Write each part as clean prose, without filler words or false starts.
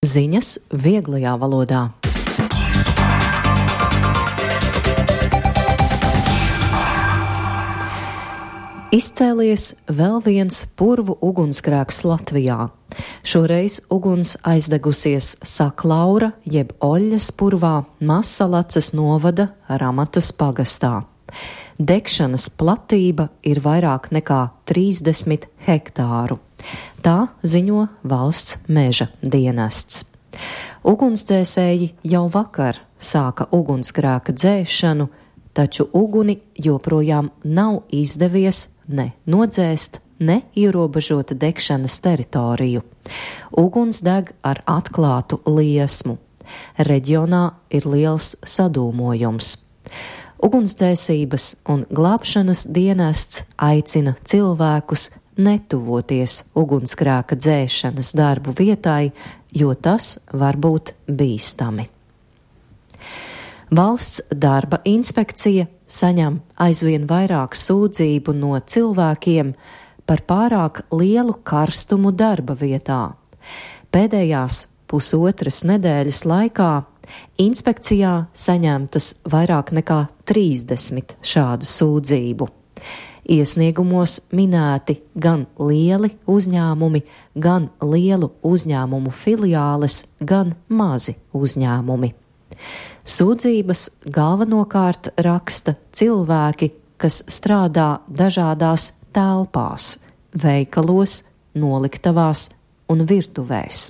Ziņas vieglajā valodā. Izcēlies vēl viens purvu ugunsgrēks Latvijā. Šoreiz uguns aizdegusies Saklaura jeb Oļļas purvā Mazsalaces novada Ramatas pagastā. Degšanas platība ir vairāk nekā 30 hektāru. Tā ziņo valsts meža dienests. Ugunsdzēsēji jau vakar sāka ugunsgrēka dzēšanu, taču uguni joprojām nav izdevies ne nodzēst, ne ierobežot degšanas teritoriju. Uguns deg ar atklātu liesmu. Reģionā ir liels sadūmojums. Ugunsdzēsības un glābšanas dienests aicina cilvēkus netuvoties ugunsgrēka dzēšanas darbu vietai, jo tas var būt bīstami. Valsts darba inspekcija saņem aizvien vairāk sūdzību no cilvēkiem par pārāk lielu karstumu darba vietā. Pēdējās pusotras nedēļas laikā inspekcijā saņemtas vairāk nekā 30 šādu sūdzību. Iesniegumos minēti gan lieli uzņēmumi, gan lielu uzņēmumu filiāles, gan mazi uzņēmumi. Sūdzības galvenokārt raksta cilvēki, kas strādā dažādās telpās, veikalos, noliktavās un virtuvēs.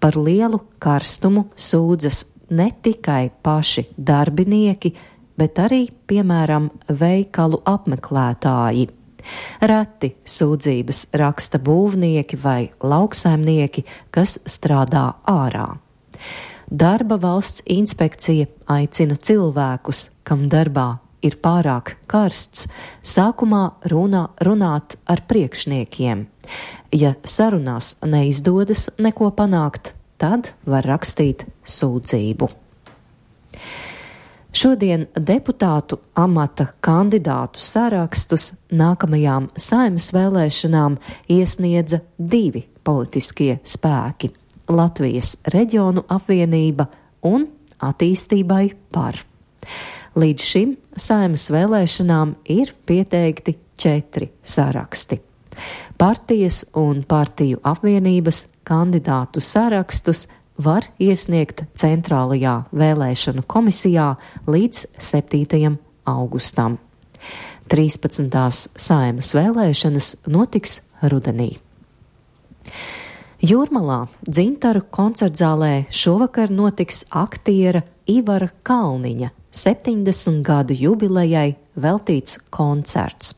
Par lielu karstumu sūdzas ne tikai paši darbinieki, bet arī, piemēram, veikalu apmeklētāji. Reti sūdzības raksta būvnieki vai lauksaimnieki, kas strādā ārā. Darba valsts inspekcija aicina cilvēkus, kam darbā ir pārāk karsts, sākumā runāt ar priekšniekiem. Ja sarunās neizdodas neko panākt, tad var rakstīt sūdzību. Šodien deputātu amata kandidātu sarakstus nākamajām Saeimas vēlēšanām iesniedza 2 politiskie spēki – Latvijas Reģionu apvienība un Attīstībai par. Līdz šim Saeimas vēlēšanām ir pieteikti 4 saraksti. Partijas un partiju apvienības kandidātu sarakstus var iesniegt Centrālajā vēlēšanu komisijā līdz 7. augustam. 13. Saeimas vēlēšanas notiks rudenī. Jūrmalā Dzintaru koncertzālē šovakar notiks aktiera Ivara Kalniņa 70 gadu jubilejai veltīts koncerts.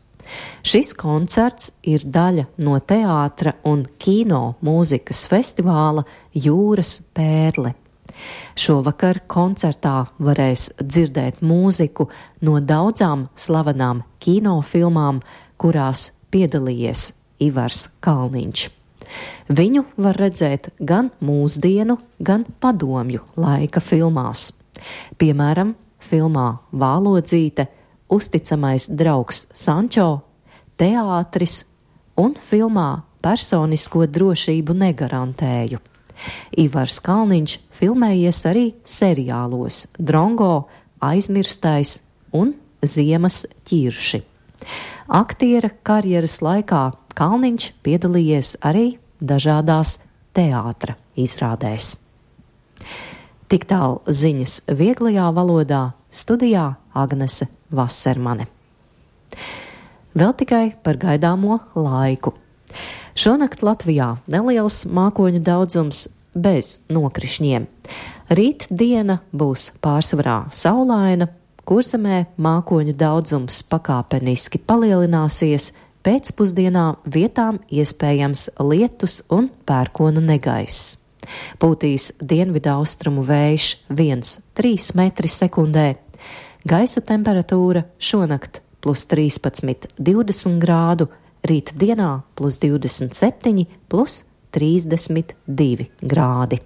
Šis koncerts ir daļa no teātra un kino mūzikas festivāla Jūras pērle. Šovakar koncertā varēs dzirdēt mūziku no daudzām slavenām kinofilmām, kurās piedalījies Ivars Kalniņš. Viņu var redzēt gan mūsdienu, gan padomju laika filmās. Piemēram, filmā Vālodzīte, Uzticamais draugs Sančo, teātris un filmā Personisko drošību negarantēju. Ivars Kalniņš filmējies arī seriālos Drongo, Aizmirstais un Ziemas ķirši. Aktiera karjeras laikā Kalniņš piedalījies arī dažādās teātra izrādēs. Tik tālu ziņas vieglajā valodā, studijā Agnese Vasermane. Vēl tikai par gaidāmo laiku. Šonakt Latvijā neliels mākoņu daudzums bez nokrišņiem. Rīt diena būs pārsvarā saulaina, Kurzemē mākoņu daudzums pakāpeniski palielināsies, pēcpusdienā vietām iespējams lietus un pērkona negaiss. Pūtīs dienvidaustrumu vējš 1,3 metri sekundē. Gaisa temperatūra šonakt +13, 20 grādu, rīt dienā +27, +32 grādi.